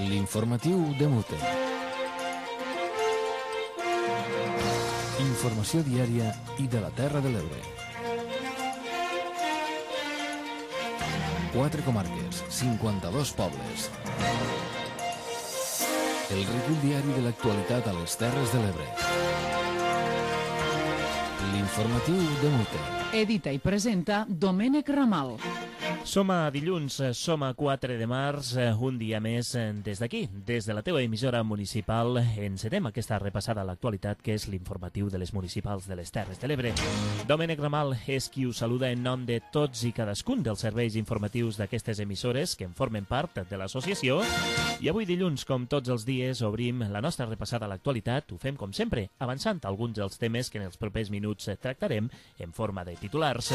L'informatiu de Mute. Informació diària i de la Terra de l'Ebre. 4 comarques, 52 pobles. El recull diari de l'actualitat a les Terres de l'Ebre. L'informatiu de Mute. Edita i presenta Domènec Ramal. Som a dilluns, som a 4 de març, un dia més des d'aquí, des de la teua emissora municipal. Encetem aquesta repassada a l'actualitat que és l'informatiu de les municipals de les Terres de l'Ebre. Domènec Ramal és qui us saluda en nom de tots i cadascun dels serveis informatius d'aquestes emissores que en formen part de l'associació. I avui dilluns, com tots els dies, obrim la nostra repassada a l'actualitat. Ho fem com sempre, avançant alguns dels temes que en els propers minuts tractarem en forma de titulars.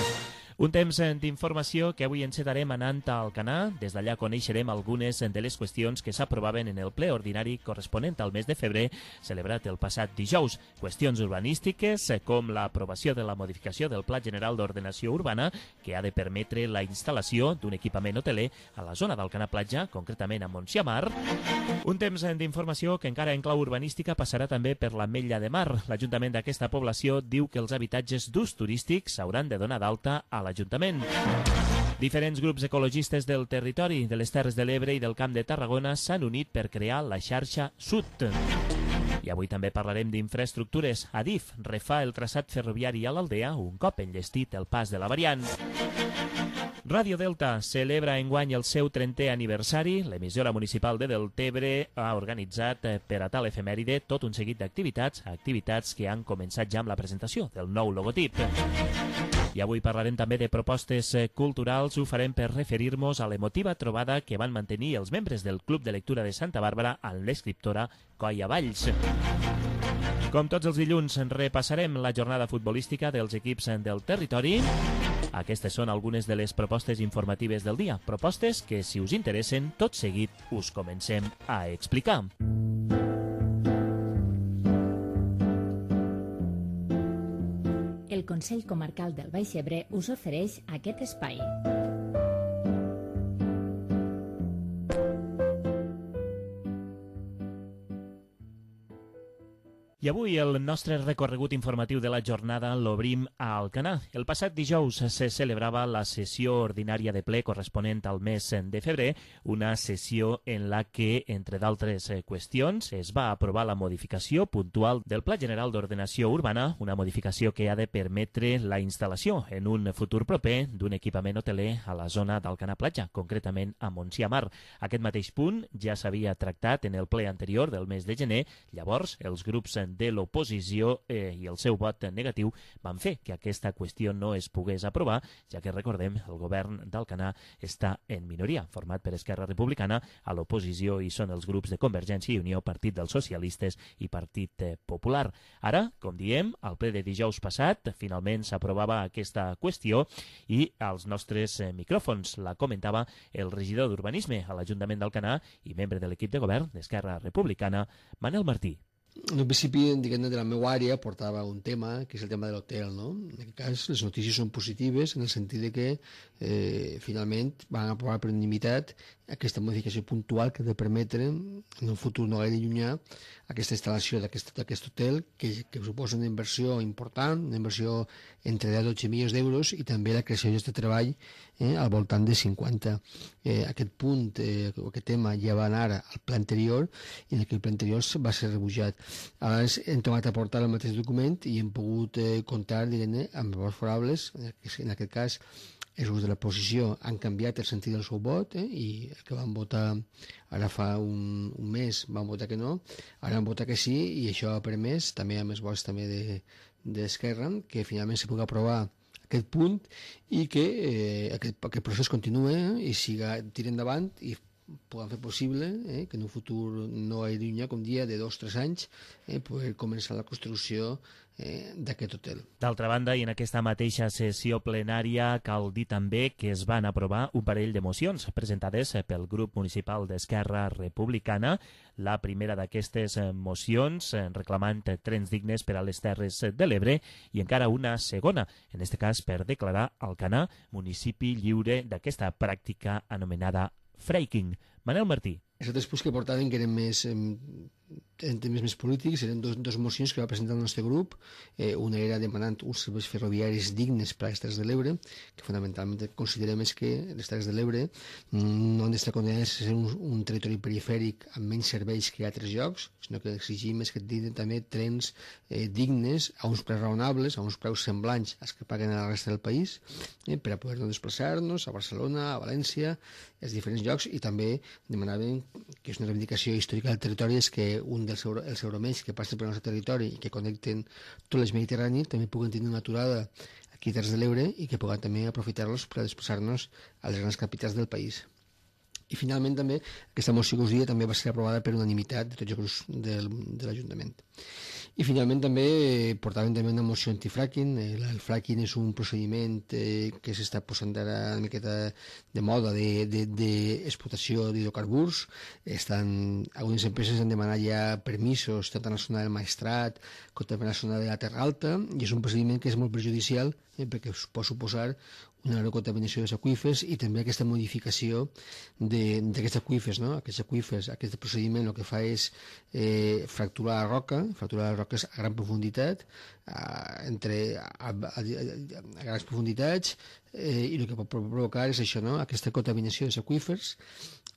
Un temps d'informació que avui encetarem anant a Alcanar. Des d'allà coneixerem algunes de les qüestions que s'aprovaven en el ple ordinari corresponent al mes de febrer, celebrat el passat dijous. Qüestions urbanístiques com l'aprovació de la modificació del Pla General d'Ordenació Urbana, que ha de permetre la instal·lació d'un equipament hoteler a la zona d'Alcanar Platja, concretament a Montsiamar. Un temps d'informació que encara en clau urbanística passarà també per l'Ametlla de Mar. L'Ajuntament d'aquesta població diu que els habitatges d'ús turístic s'hauran de donar d'alta a l'Ajuntament. Diferents grups ecologistes del territori, de les Terres de l'Ebre i del Camp de Tarragona s'han unit per crear la xarxa Sud. I avui també parlarem d'infraestructures. Adif refà el traçat ferroviari a l'Aldea un cop enllestit el pas de la variant. Ràdio Delta celebra enguany el seu 30è aniversari. L'emissora municipal de Deltebre ha organitzat per a tal efemèride tot un seguit d'activitats que han començat ja amb la presentació del nou logotip. I avui parlarem també de propostes culturals. Ho farem per referir-nos a l'emotiva trobada que van mantenir els membres del Club de Lectura de Santa Bàrbara amb l'escriptora Coia Valls. Com tots els dilluns, repassarem la jornada futbolística dels equips del territori. Aquestes són algunes de les propostes informatives del dia. Propostes que, si us interessen, tot seguit us comencem a explicar. El Consell Comarcal del Baix Ebre us ofereix aquest espai. I avui el nostre recorregut informatiu de la jornada l'obrim a Alcanar. El passat dijous se celebrava la sessió ordinària de ple corresponent al mes de febrer, una sessió en la que, entre d'altres qüestions, es va aprovar la modificació puntual del Pla General d'Ordenació Urbana, una modificació que ha de permetre la instal·lació en un futur proper d'un equipament hoteler a la zona d'Alcanar Platja, concretament a Montsiamar. Aquest mateix punt ja s'havia tractat en el ple anterior del mes de gener. Llavors, els grups de l'oposició i el seu vot negatiu van fer que aquesta qüestió no es pogués aprovar, ja que, recordem, el govern d'Alcanar està en minoria, format per Esquerra Republicana. A l'oposició hi són els grups de Convergència i Unió, Partit dels Socialistes i Partit Popular. Ara, com diem, al ple de dijous passat, finalment s'aprovava aquesta qüestió i als nostres micròfons la comentava el regidor d'Urbanisme a l'Ajuntament d'Alcanar i membre de l'equip de govern d'Esquerra Republicana, Manel Martí. En un principi, diguem-ne, de la meva àrea portava un tema, que és el tema de l'hotel, no? En aquest cas, les notícies són positives en el sentit de que finalment van aprovar per unanimitat aquesta modificació puntual que ha de permetre, en un futur no gaire llunyà, aquesta instal·lació d'aquest hotel, que suposa una inversió important, una inversió entre 10 i 12 milions d'euros, i també la creació de treball al voltant de 50. Aquest punt, aquest tema ja va anar al pla anterior, i en aquell pla anterior va ser rebutjat. Ara hem tornat a portar el mateix document i hem pogut comptar, diguem-ne, amb vots favorables. En aquest cas, els grups de l'oposició han canviat el sentit del seu vot, i el que van votar ara fa un mes van votar que no, ara van votar que sí, i això ha permès, també amb els vots també d'Esquerra, que finalment se pugui aprovar aquest punt i que aquest procés continuï i tiri endavant i puguem fer possible que en un futur no gaire llunyà, com dia de 2 o 3 anys, poder començar la construcció d'aquest hotel. D'altra banda, i en aquesta mateixa sessió plenària, cal dir també que es van aprovar un parell de mocions presentades pel grup municipal d'Esquerra Republicana. La primera d'aquestes mocions reclamant trens dignes per a les Terres de l'Ebre i encara una segona, en aquest cas per declarar Alcanar municipi lliure d'aquesta pràctica anomenada fracking. Manel Martí. Els altres punts que portaven, que eren més en temes més polítics, eren dos mocions que va presentar el nostre grup. Una era demanant uns serveis ferroviaris dignes per a les Terres de l'Ebre, que fonamentalment considerem és que les Terres de l'Ebre no han d'estar condenades a ser un territori perifèric amb menys serveis que altres llocs, sinó que exigim és que tinguin també trens dignes, a uns preus raonables, a uns preus semblants als que paguen a la resta del país, per a poder desplaçar-nos a Barcelona, a València, als diferents llocs, i també demanaven, que és una reivindicació històrica del territori, és que els euromells que passen pel nostre territori i que connecten tot l'eix mediterrani també puguen tenir una aturada aquí a Terres de l'Ebre i que puguen també aprofitar-los per a desplaçar-nos a les grans capitals del país. I finalment també aquesta moció que us dia també va ser aprovada per unanimitat de tots els grups de l'Ajuntament. I finalment també portaven també una moció antifracking. El fracking és un procediment que s'està posant ara una miqueta de moda d'explotació d'hidrocarburs. Algunes empreses han demanat ja permisos tant a la zona del Maestrat com també a la zona de la Terra Alta, i és un procediment que és molt perjudicial perquè pot suposar una gran contaminació dels aqüífers i també aquesta modificació d'aquests aqüífers, no? Aquests aqüífers, aquest procediment el que fa és fracturar la roca, roques a gran profunditat, a grans profunditats, i el que pot provocar és això, no? Aquesta contaminació dels aqüífers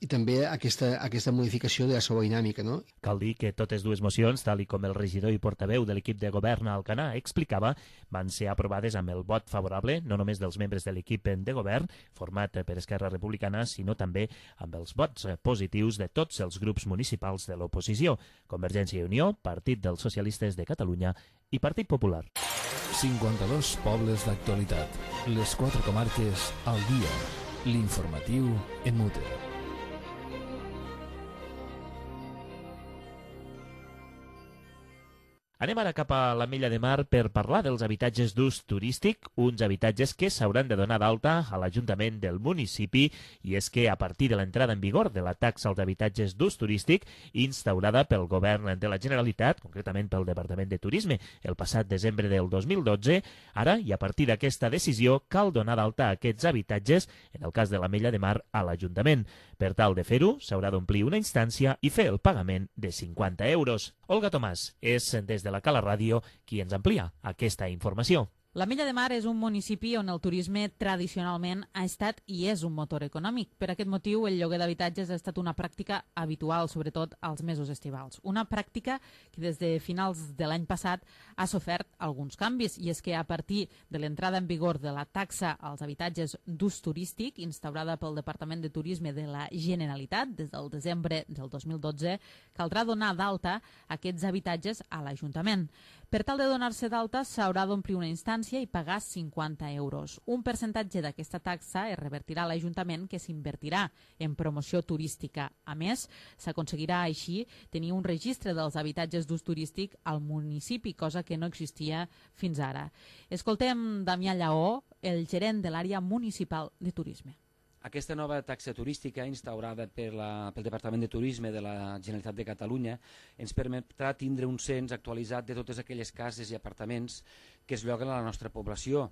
i també aquesta modificació de la seva dinàmica, no? Cal dir que totes dues mocions, tal i com el regidor i portaveu de l'equip de govern a Alcanar explicava, van ser aprovades amb el vot favorable no només dels membres de l'equip de govern, format per Esquerra Republicana, sinó també amb els vots positius de tots els grups municipals de l'oposició, Convergència i Unió, Partit dels Socialistes de Catalunya i Partit Popular. 52 pobles d'actualitat. Les 4 comarques al dia. L'informatiu en Mute. Anem ara cap a l'Ametlla de Mar per parlar dels habitatges d'ús turístic, uns habitatges que s'hauran de donar d'alta a l'Ajuntament del municipi, i és que a partir de l'entrada en vigor de la taxa als habitatges d'ús turístic instaurada pel Govern de la Generalitat, concretament pel Departament de Turisme, el passat desembre del 2012, ara i a partir d'aquesta decisió cal donar d'alta aquests habitatges, en el cas de l'Ametlla de Mar, a l'Ajuntament. Per tal de fer-ho, s'haurà d'omplir una instància i fer el pagament de 50 euros. Olga Tomàs és des de la Cala Ràdio qui ens amplia aquesta informació. L'Ametlla de Mar és un municipi on el turisme tradicionalment ha estat i és un motor econòmic. Per aquest motiu, el lloguer d'habitatges ha estat una pràctica habitual, sobretot als mesos estivals. Una pràctica que des de finals de l'any passat ha sofert alguns canvis, i és que a partir de l'entrada en vigor de la taxa als habitatges d'ús turístic, instaurada pel Departament de Turisme de la Generalitat des del desembre del 2012, caldrà donar d'alta aquests habitatges a l'Ajuntament. Per tal de donar-se d'alta, s'haurà d'omplir una instància i pagar 50 euros. Un percentatge d'aquesta taxa es revertirà a l'Ajuntament, que s'invertirà en promoció turística. A més, s'aconseguirà així tenir un registre dels habitatges d'ús turístic al municipi, cosa que no existia fins ara. Escoltem Damià Lleó, el gerent de l'àrea municipal de turisme. Aquesta nova taxa turística instaurada pel Departament de Turisme de la Generalitat de Catalunya ens permetrà tindre un cens actualitzat de totes aquelles cases i apartaments que es lloguen a la nostra població.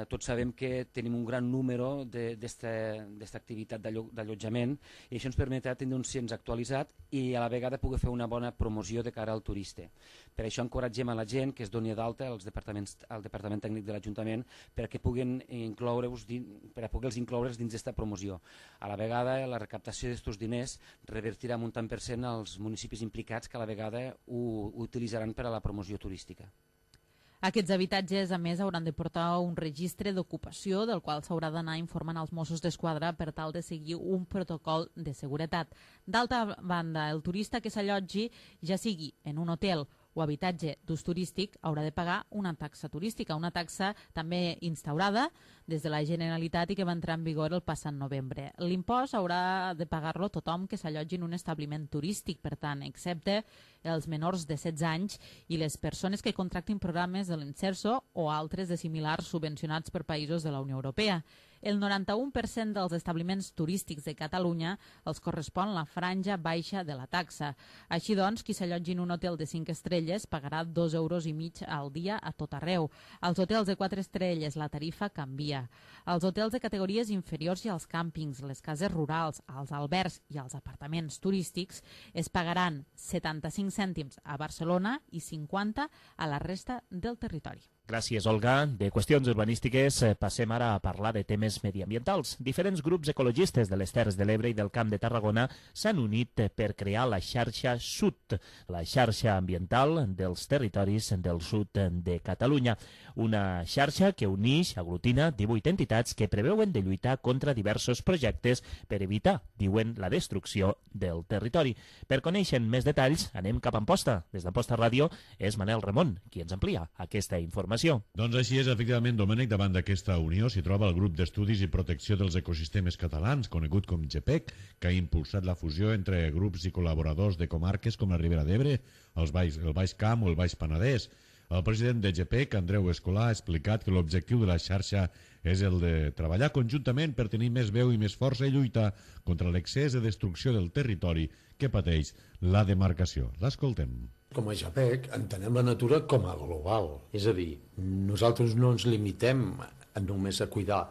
Tots sabem que tenim un gran número d'aquesta activitat d'allotjament, i això ens permetrà tenir un cens actualitzat i a la vegada poder fer una bona promoció de cara al turista. Per això encoratgem a la gent que es doni d'alta al Departament Tècnic de l'Ajuntament perquè puguin incloure'ls dins d'aquesta promoció. A la vegada, la recaptació d'aquests diners revertirà un tant per cent als municipis implicats, que a la vegada ho utilitzaran per a la promoció turística. Aquests habitatges, a més, hauran de portar un registre d'ocupació del qual s'haurà d'anar informant als Mossos d'Esquadra per tal de seguir un protocol de seguretat. D'altra banda, el turista que s'allotgi, ja sigui en un hotel o habitatge d'ús turístic, haurà de pagar una taxa turística, una taxa també instaurada des de la Generalitat i que va entrar en vigor el passat novembre. L'impost haurà de pagar-lo tothom que s'allotgi en un establiment turístic, per tant, excepte els menors de 16 anys i les persones que contractin programes de l'Inserso o altres de similars subvencionats per països de la Unió Europea. el 91% dels establiments turístics de Catalunya els correspon la franja baixa de la taxa. Així doncs, qui s'allotgi en un hotel de 5 estrelles pagarà 2,5 euros al dia a tot arreu. Als hotels de 4 estrelles la tarifa canvia. Als hotels de categories inferiors i als càmpings, les cases rurals, als albergs i als apartaments turístics es pagaran 75 cèntims a Barcelona i 50 a la resta del territori. Gràcies, Olga. De qüestions urbanístiques passem ara a parlar de temes mediambientals. Diferents grups ecologistes de les Terres de l'Ebre i del Camp de Tarragona s'han unit per crear la xarxa SUT, la xarxa ambiental dels territoris del sud de Catalunya. Una xarxa que uneix, aglutina 18 entitats que preveuen de lluitar contra diversos projectes per evitar, diuen, la destrucció del territori. Per conèixer més detalls, anem cap a Amposta. Des d'Amposta Ràdio és Manel Ramon qui ens amplia aquesta informació. Doncs així és, efectivament, Domènec, davant d'aquesta unió s'hi troba el Grup d'Estudis i Protecció dels Ecosistemes Catalans, conegut com GEPEC, que ha impulsat la fusió entre grups i col·laboradors de comarques com la Ribera d'Ebre, el Baix Camp o el Baix Penedès. El president de GEPEC, Andreu Escolà, ha explicat que l'objectiu de la xarxa és el de treballar conjuntament per tenir més veu i més força i lluitar contra l'excés de destrucció del territori que pateix la demarcació. L'escoltem. Com a JAPEC entenem la natura com a global, és a dir, nosaltres no ens limitem només a cuidar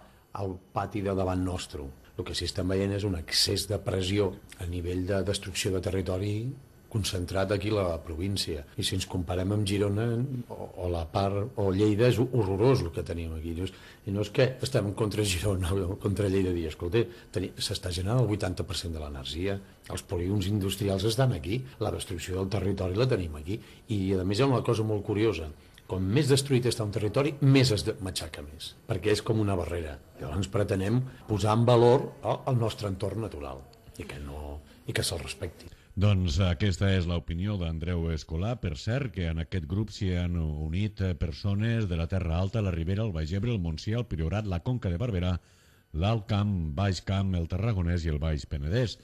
el pati de davant nostre. El que sí estem veient és un excés de pressió a nivell de destrucció de territori concentrat aquí a la província. I si ens comparem amb Girona o la part o Lleida, és horrorós el que tenim aquí. I no és que estem contra Girona o contra Lleida, dir, escolta, s'està generant el 80% de l'energia, els polígons industrials estan aquí, la destrucció del territori la tenim aquí, i a més hi ha una cosa molt curiosa, com més destruït està un territori, més es matxaca més, perquè és com una barrera. Llavors pretenem posar en valor el nostre entorn natural i que se'l respecti. Doncs aquesta és l'opinió d'Andreu Escolà. Per cert, que en aquest grup s'hi han unit persones de la Terra Alta, la Ribera, el Baix Ebre, el Montsià, el Priorat, la Conca de Barberà, l'Alt Camp, Baix Camp, el Tarragonès i el Baix Penedès.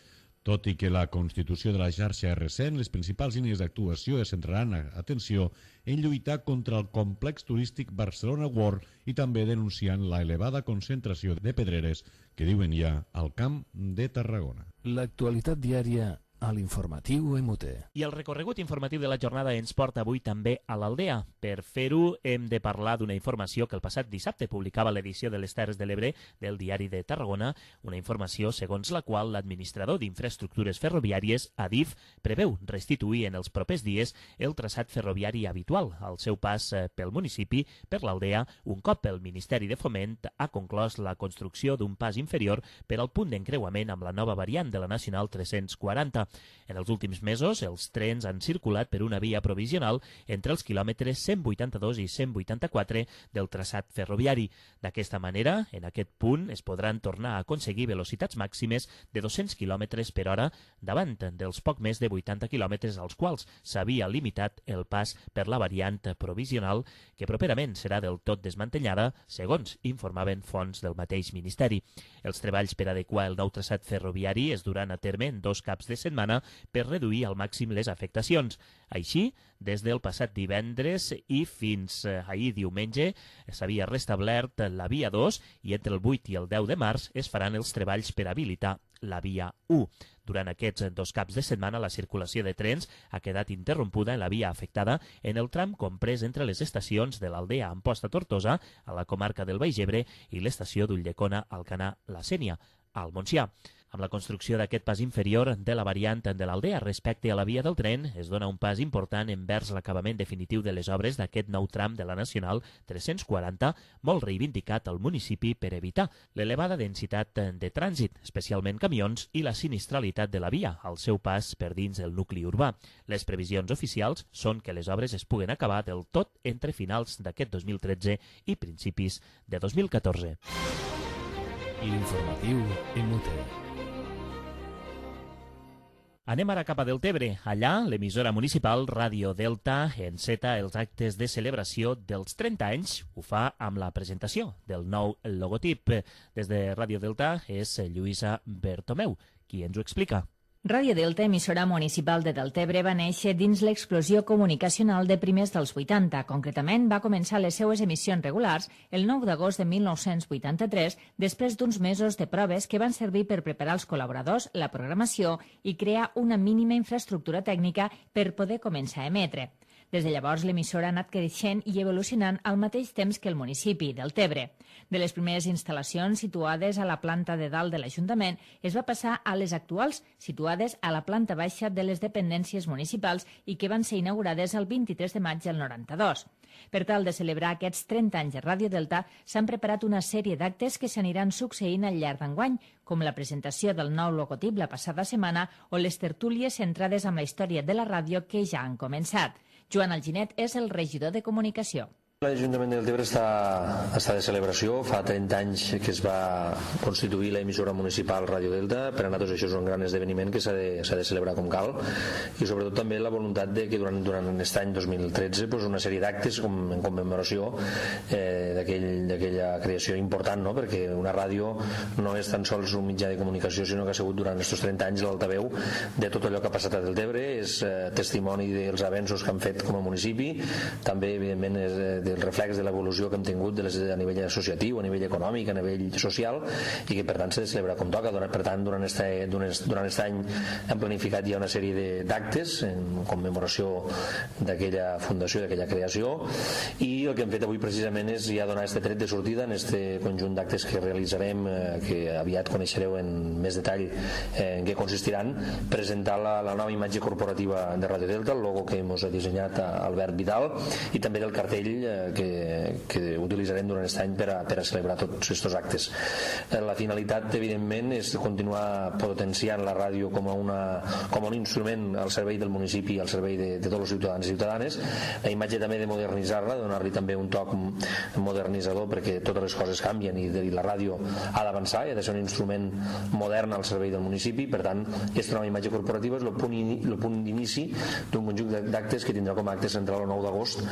Tot i que la constitució de la xarxa és recent, les principals línies d'actuació es centraran, atenció, en lluitar contra el complex turístic Barcelona World i també denunciant la elevada concentració de pedreres que diuen ja al Camp de Tarragona. L'actualitat diària a l'informatiu MUT. I el recorregut informatiu de la jornada ens porta avui també a l'Aldea. Per fer-ho hem de parlar d'una informació que el passat dissabte publicava l'edició de les Terres de l'Ebre del Diari de Tarragona, una informació segons la qual l'administrador d'infraestructures ferroviàries, ADIF, preveu restituir en els propers dies el traçat ferroviari habitual al seu pas pel municipi per l'Aldea, un cop el Ministeri de Foment ha conclòs la construcció d'un pas inferior per al punt d'encreuament amb la nova variant de la Nacional 340. En els últims mesos, els trens han circulat per una via provisional entre els quilòmetres 182 i 184 del traçat ferroviari. D'aquesta manera, en aquest punt es podran tornar a aconseguir velocitats màximes de 200 km per hora davant dels poc més de 80 km als quals s'havia limitat el pas per la variant provisional, que properament serà del tot desmantellada, segons informaven fonts del mateix Ministeri. Els treballs per adequar el nou traçat ferroviari es duran a terme en 2 caps de setmana per reduir al màxim les afectacions. Així, des del passat divendres i fins ahir diumenge s'havia restablert la via 2 i entre el 8 i el 10 de març es faran els treballs per habilitar la via 1. Durant aquests 2 caps de setmana la circulació de trens ha quedat interrompuda en la via afectada en el tram comprès entre les estacions de l'Aldea Amposta-Tortosa, a la comarca del Baix Ebre, i l'estació d'Ulldecona, Alcanar-la Sénia, al Montsià. Amb la construcció d'aquest pas inferior de la variant de l'Aldea respecte a la via del tren, es dona un pas important envers l'acabament definitiu de les obres d'aquest nou tram de la Nacional 340, molt reivindicat al municipi per evitar l'elevada densitat de trànsit, especialment camions, i la sinistralitat de la via al seu pas per dins el nucli urbà. Les previsions oficials són que les obres es puguen acabar del tot entre finals d'aquest 2013 i principis de 2014. L'informatiu MUT. Anem ara cap a Deltebre. Allà, l'emissora municipal Ràdio Delta enceta els actes de celebració dels 30 anys. Ho fa amb la presentació del nou logotip. Des de Ràdio Delta és Lluïsa Bertomeu, qui ens ho explica. Ràdio Delta, emissora municipal de Deltebre, va néixer dins l'explosió comunicacional de primers dels 80. Concretament, va començar les seues emissions regulars el 9 d'agost de 1983, després d'uns mesos de proves que van servir per preparar els col·laboradors, la programació i crear una mínima infraestructura tècnica per poder començar a emetre. Des de llavors, l'emissora ha anat creixent i evolucionant al mateix temps que el municipi, Deltebre. De les primeres instal·lacions situades a la planta de dalt de l'Ajuntament es va passar a les actuals, situades a la planta baixa de les dependències municipals i que van ser inaugurades el 23 de maig del 92. Per tal de celebrar aquests 30 anys de Ràdio Delta, s'han preparat una sèrie d'actes que s'aniran succeint al llarg d'enguany, com la presentació del nou logotip la passada setmana o les tertúlies centrades en la història de la ràdio que ja han començat. Joan Alginet és el regidor de Comunicació. L'Ajuntament de Deltebre està de celebració. Fa 30 anys que es va constituir l'emissora municipal Ràdio Delta. Per a nosaltres això és un gran esdeveniment que s'ha de celebrar com cal, i sobretot també la voluntat de que durant aquest any 2013 una sèrie d'actes en commemoració d'aquella creació important, no? Perquè una ràdio no és tan sols un mitjà de comunicació, sinó que ha sigut durant aquests 30 anys l'altaveu de tot allò que ha passat a Deltebre. És testimoni dels avenços que han fet com a municipi, també evidentment és del reflex de l'evolució que hem tingut a nivell associatiu, a nivell econòmic, a nivell social, i que per tant s'ha de celebrar com toca. Per tant, durant aquest any hem planificat ja una sèrie d'actes en commemoració d'aquella fundació, d'aquella creació, i el que hem fet avui precisament és ja donar aquest tret de sortida en aquest conjunt d'actes que realitzarem, que aviat coneixereu en més detall en què consistiran. Presentar la nova imatge corporativa de Ràdio Delta, el logo que ens ha dissenyat Albert Vidal, i també del cartell que utilitzarem durant aquest any per a celebrar tots aquests actes. La finalitat, evidentment, és continuar potenciant la ràdio com un instrument al servei del municipi, al servei de tots els ciutadans i ciutadanes. La imatge també de modernitzar-la, de donar-li també un toc modernitzador, perquè totes les coses canvien i la ràdio ha d'avançar i ha de ser un instrument modern al servei del municipi. Per tant, aquesta nova imatge corporativa és el punt d'inici d'un conjunt d'actes que tindrà com a acte central el 9 d'agost,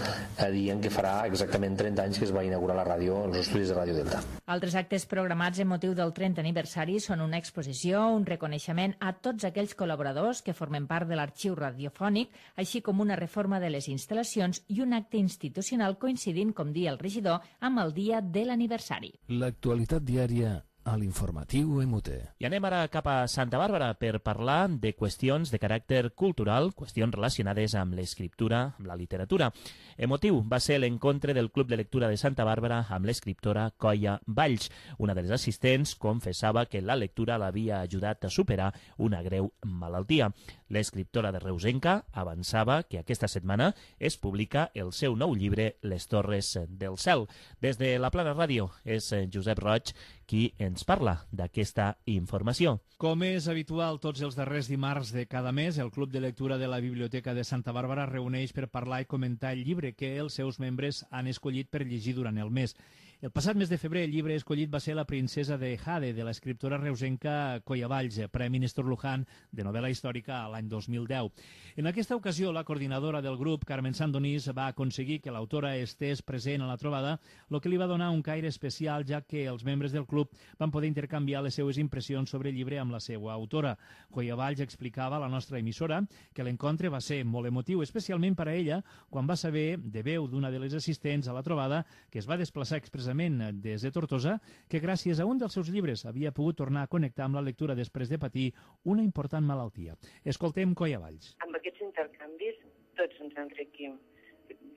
dient que farà exactament 30 anys que es va inaugurar la ràdio, els estudis de Ràdio Delta. Altres actes programats en motiu del 30 aniversari són una exposició, un reconeixement a tots aquells col·laboradors que formen part de l'arxiu radiofònic, així com una reforma de les instal·lacions i un acte institucional coincidint, com dia el regidor, amb el dia de l'aniversari. L'actualitat diària a l'informatiu MUT. I anem ara cap a Santa Bàrbara per parlar de qüestions de caràcter cultural, qüestions relacionades amb l'escriptura, amb la literatura. Emotiu va ser l'encontre del Club de Lectura de Santa Bàrbara amb l'escriptora Coia Valls. Una de les assistents confessava que la lectura l'havia ajudat a superar una greu malaltia. L'escriptora de Reusenca avançava que aquesta setmana es publica el seu nou llibre Les Torres del Cel. Des de la Plana Ràdio és Josep Roig qui ens parla d'aquesta informació. Com és habitual tots els darrers dimarts de cada mes, el Club de Lectura de la Biblioteca de Santa Bàrbara reuneix per parlar i comentar el llibre que els seus membres han escollit per llegir durant el mes. El passat mes de febrer el llibre escollit va ser La princesa de Jade, de l'escriptora reusenca Coia Valls, Premi Néstor Luján de novel·la històrica l'any 2010. En aquesta ocasió, la coordinadora del grup, Carmen Sandonís, va aconseguir que l'autora estés present a la trobada, el que li va donar un caire especial, ja que els membres del club van poder intercanviar les seues impressions sobre el llibre amb la seva autora. Coia Valls explicava a la nostra emissora que l'encontre va ser molt emotiu, especialment per a ella, quan va saber, de veu d'una de les assistents a la trobada, que es va desplaçar expressament des de Tortosa, que gràcies a un dels seus llibres havia pogut tornar a connectar amb la lectura després de patir una important malaltia. Escoltem Coia Valls. Amb aquests intercanvis tots ens enriquim.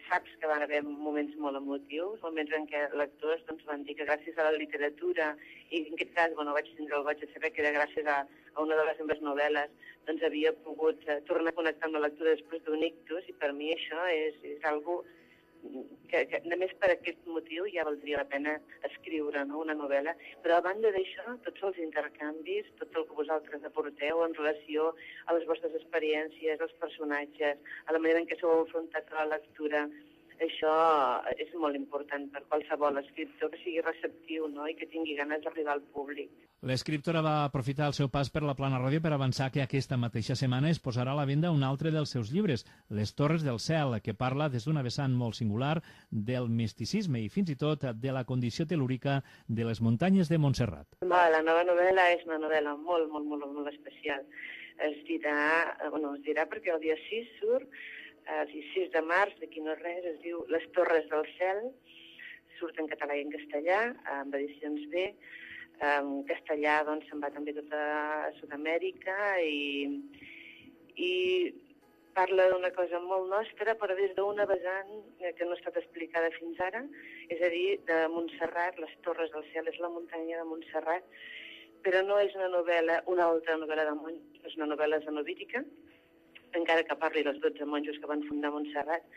Saps que van haver moments molt emotius, moments en què lectors van dir que gràcies a la literatura, i en aquest cas vaig tindre el goig de saber que era gràcies a una de les meves novel·les, havia pogut tornar a connectar amb la lectura després d'un ictus, i per mi això és algo que només per aquest motiu ja valdria la pena escriure, no?, una novel·la. Però a banda d'això, tots els intercanvis, tot el que vosaltres aporteu en relació a les vostres experiències, als personatges, a la manera en què s'heu enfrontat a la lectura, això és molt important per qualsevol escriptor que sigui receptiu, no?, i que tingui ganes d'arribar al públic. L'escriptora va aprofitar el seu pas per la Plana Ràdio per avançar que aquesta mateixa setmana es posarà a la venda un altre dels seus llibres, Les Torres del Cel, que parla des d'una vessant molt singular del misticisme i fins i tot de la condició telúrica de les muntanyes de Montserrat. La nova novel·la és una novel·la molt especial. es dirà perquè el dia 6 surt, el 6 de març, d'aquí no res, es diu Les Torres del Cel, surt en català i en castellà, amb edicions B. En castellà doncs, se'n va també tota Sud-amèrica i parla d'una cosa molt nostra, però des d'una vessant que no ha estat explicada fins ara, és a dir, de Montserrat, Les Torres del Cel, és la muntanya de Montserrat, però no és una novel·la, una altra novel·la de monjos, és una novel·la zenovítica, encara que parli dels 12 monjos que van fundar Montserrat,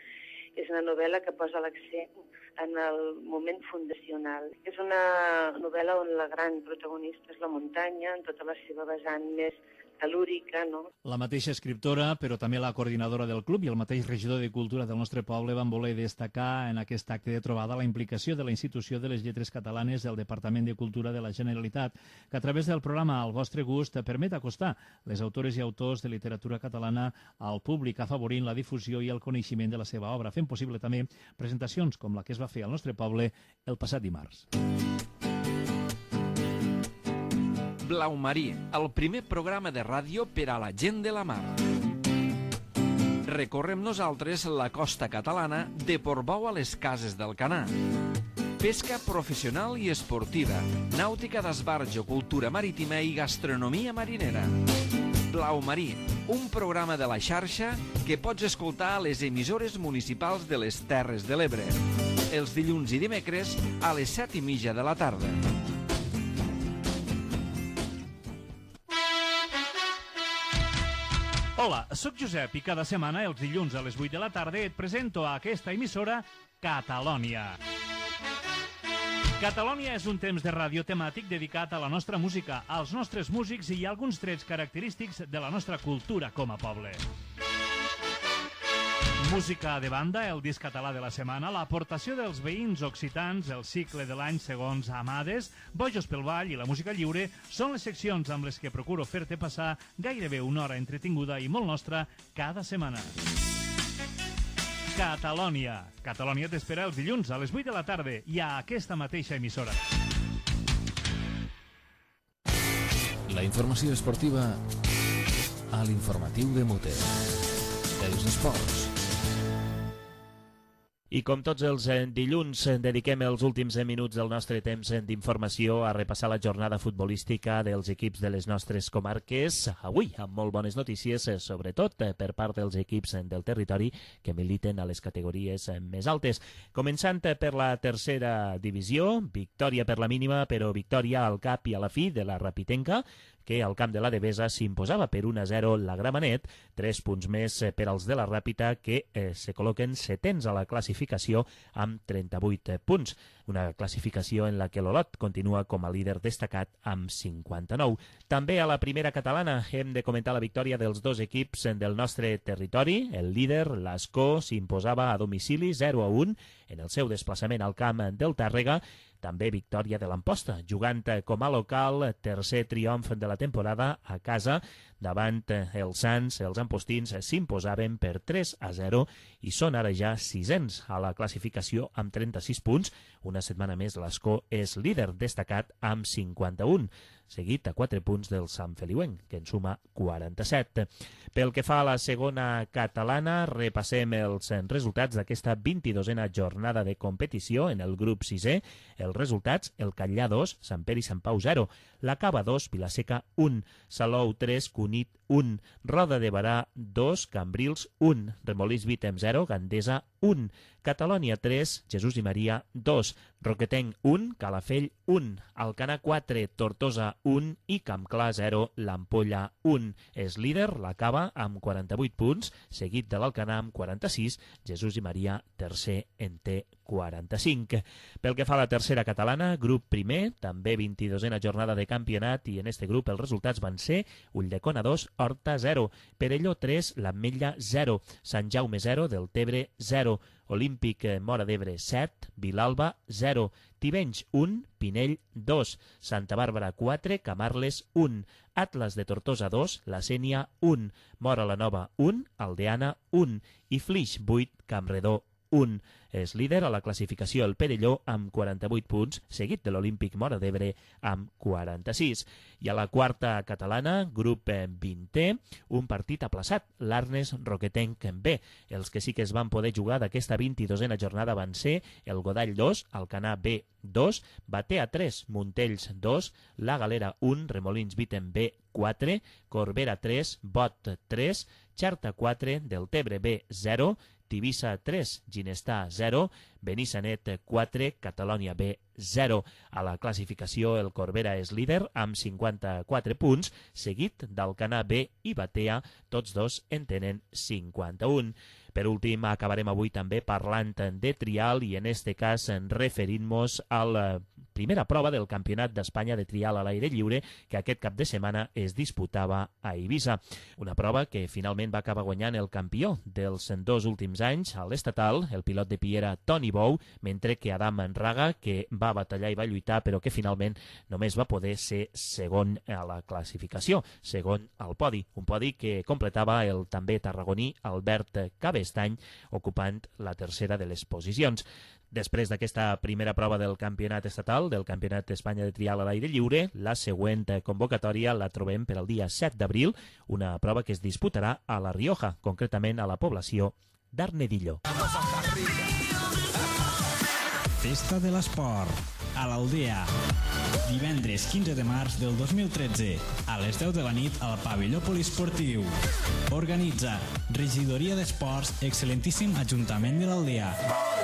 és una novel·la que posa l'accent en el moment fundacional. És una novel·la on la gran protagonista és la muntanya, en tota la seva vessant més telúrica, no? La mateixa escriptora, però també la coordinadora del club i el mateix regidor de Cultura del nostre poble van voler destacar en aquest acte de trobada la implicació de la Institució de les Lletres Catalanes del Departament de Cultura de la Generalitat, que a través del programa Al vostre gust permet acostar les autores i autors de literatura catalana al públic, afavorint la difusió i el coneixement de la seva obra, fent possible també presentacions com la que es va fer al nostre poble el passat dimarts. Blau Marí, el primer programa de ràdio per a la gent de la mar. Recorrem nosaltres la costa catalana de Portbou a les Cases del Canà. Pesca professional i esportiva, nàutica d'esbarjo, cultura marítima i gastronomia marinera. Blau Marí, un programa de la xarxa que pots escoltar a les emissores municipals de les Terres de l'Ebre. Els dilluns i dimecres a les 7:30 de la tarda. Hola, sóc Josep i cada setmana, els dilluns a les 8 de la tarda, et presento a aquesta emissora Catalònia. Catalònia és un temps de ràdio temàtic dedicat a la nostra música, als nostres músics i a alguns trets característics de la nostra cultura com a poble. Música de banda, el disc català de la setmana, l'aportació dels veïns occitans, el cicle de l'any segons Amades, Bojos pel Ball i la música lliure són les seccions amb les que procuro fer-te passar gairebé una hora entretinguda i molt nostra cada setmana. Catalònia. Catalònia t'espera els dilluns a les 8 de la tarda i a aquesta mateixa emissora. La informació esportiva a l'informatiu de Muter. Els esports. I com tots els dilluns, dediquem els últims minuts del nostre temps d'informació a repassar la jornada futbolística dels equips de les nostres comarques. Avui, amb molt bones notícies, sobretot per part dels equips del territori que militen a les categories més altes. Començant per la tercera divisió, victòria per la mínima, però victòria al cap i a la fi de la Rapitenca, que al camp de la Devesa s'imposava per 1-0 la Gramenet, 3 punts més per als de la Ràpita, que se col·loquen setens a la classificació amb 38 punts. Una classificació en la que l'Olot continua com a líder destacat amb 59. També a la primera catalana hem de comentar la victòria dels dos equips del nostre territori. El líder, l'Ascó, s'imposava a domicili 0-1 en el seu desplaçament al camp del Tàrrega. També victòria de l'Amposta, jugant com a local, tercer triomf de la temporada a casa, davant els Sants. Els ampostins s'imposaven per 3-0 i són ara ja sisens a la classificació amb 36 punts. Una setmana més l'Ascó és líder destacat amb 51, seguit a 4 punts del Sant Feliuenc, que en suma 47. Pel que fa a la segona catalana, repassem els resultats d'aquesta 22a jornada de competició en el grup 6è. Els resultats, el Catllà 2, Sant Pere i Sant Pau 0, la Cava 2, Vilaseca 1, Salou 3, Cunit 1, Roda de Barà 2, Cambrils 1, Remolins Vítem 0, Gandesa 1, Catalònia 3, Jesús i Maria 2, Roquetenc 1, Calafell 1, Alcanar 4, Tortosa 1 i Campclar 0, l'Ampolla 1. És líder la Cava amb 48 punts, seguit de l'Alcanar amb 46, Jesús i Maria tercer en té 45. Pel que fa a la tercera catalana, grup primer, també 22a jornada de campionat, i en este grup els resultats van ser Ulldecona 2, Horta 0, Perelló 3, l'Ametlla 0, Sant Jaume 0, Deltebre 0, Olímpic Móra d'Ebre 7, Vilalba 0, Tivenys 1, Pinell 2, Santa Bàrbara 4, Camarles 1, Atlas de Tortosa 2, La Sénia 1, Móra la Nova 1, Aldeana 1 i Flix 8, Campredó 1. 1. És líder a la classificació el Perelló amb 48 punts, seguit de l'Olímpic Móra d'Ebre amb 46. I a la quarta catalana, grup 20è, un partit aplaçat, l'Arnes Roquetenc B. Els que sí que es van poder jugar d'aquesta 22a jornada van ser el Godall 2, Alcanar B 2, Batea 3, Montells 2, La Galera 1, Remolins Viten B 4, Corbera 3, Bot 3, Xarta 4, Deltebre B 0, Tivissa 3, Ginestar 0, Benissanet 4, Catalònia B 0. A la classificació el Corbera és líder amb 54 punts, seguit d'Alcanar B i Batea, tots dos en tenen 51. Per últim, acabarem avui també parlant de trial i en este cas referint-nos a la primera prova del Campionat d'Espanya de trial a l'aire lliure que aquest cap de setmana es disputava a Eivissa. Una prova que finalment va acabar guanyant el campió dels 2 últims anys, a l'estatal, el pilot de Piera Toni Bou, mentre que Adam Raga, que va batallar i va lluitar però que finalment només va poder ser segon a la classificació, segon al podi. Un podi que completava el també tarragoní Albert Cabestany, ocupant la tercera de les posicions. Després d'aquesta primera prova del campionat estatal, del Campionat d'Espanya de trial a l'aire lliure, la següent convocatòria la trobem per al dia 7 d'abril, una prova que es disputarà a La Rioja, concretament a la població d'Arnedillo. Festa de l'Esport, a l'Aldea. Divendres 15 de març del 2013, a les 10 de la nit al pavelló poliesportiu. Organitza Regidoria d'Esports, excel·lentíssim Ajuntament de l'Aldea.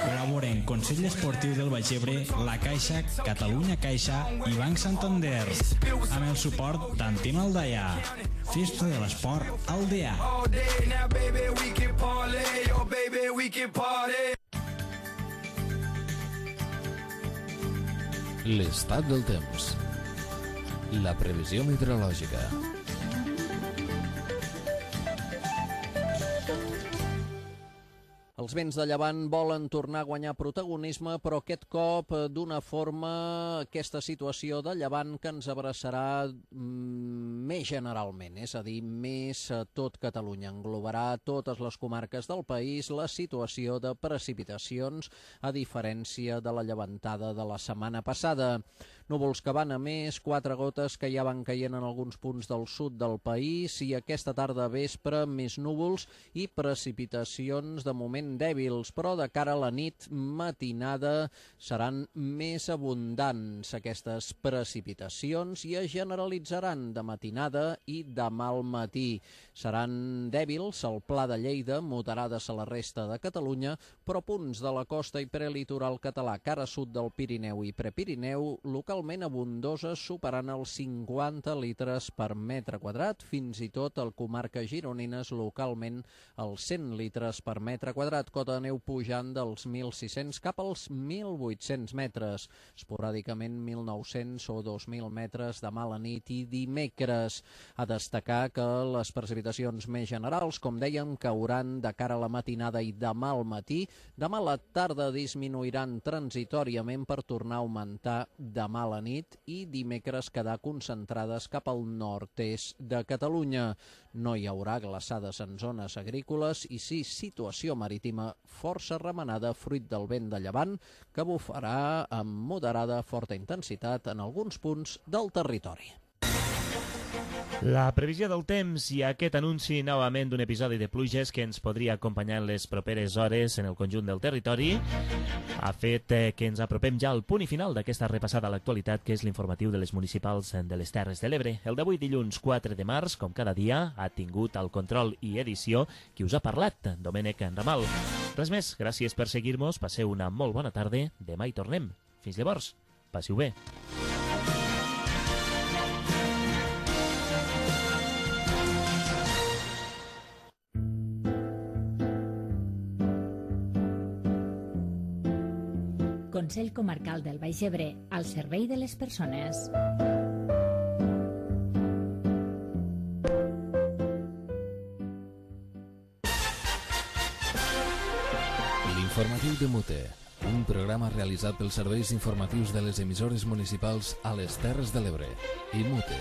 Col·laboren Consell Esportiu del Baix Ebre, La Caixa, Catalunya Caixa i Banc Santander. Amb el suport d'Antim Aldaia. Festa de l'Esport Aldea. L'estat del temps. La previsió meteorològica. Els vents de llevant volen tornar a guanyar protagonisme, però aquest cop d'una forma, aquesta situació de llevant que ens abraçarà més generalment, és a dir, més a tot Catalunya. Englobarà totes les comarques del país la situació de precipitacions, a diferència de la llevantada de la setmana passada. Núvols que van a més, 4 gotes que ja van caient en alguns punts del sud del país i aquesta tarda vespre més núvols i precipitacions de moment dèbils, però de cara a la nit matinada seran més abundants aquestes precipitacions i es generalitzaran de matinada i demà al matí. Seran dèbils al Pla de Lleida, moderades a la resta de Catalunya, però punts de la costa i prelitoral català, cara sud del Pirineu i Prepirineu, localment abundoses, superant els 50 litres per metre quadrat, fins i tot al comarques gironines, localment els 100 litres per metre quadrat, cota de neu pujant dels 1.600 cap als 1.800 metres, esporàdicament 1.900 o 2.000 metres demà a la nit i dimecres. A destacar que les precipitacions més generals, com dèiem, cauran de cara a la matinada i demà al matí. Demà a la tarda disminuiran transitòriament per tornar a augmentar demà a la nit i dimecres quedar concentrades cap al nord-est de Catalunya. No hi haurà glaçades en zones agrícoles i sí situació marítima força remenada fruit del vent de llevant que bufarà amb moderada forta intensitat en alguns punts del territori. La previsió del temps i aquest anunci novament d'un episodi de pluges que ens podria acompanyar en les properes hores en el conjunt del territori ha fet que ens apropem ja al punt i final d'aquesta repassada a l'actualitat que és l'informatiu de les municipals de les Terres de l'Ebre. El d'avui dilluns 4 de març, com cada dia, ha tingut el control i edició qui us ha parlat, Domènec Ramal. Res més, gràcies per seguir-nos, passeu una molt bona tarda, demà hi tornem. Fins llavors, passeu bé. Consell Comarcal del Baix Ebre, al servei de les persones. L'informatiu de Mute, un programa realitzat pels serveis informatius de les emissores municipals a les Terres de l'Ebre i Mute.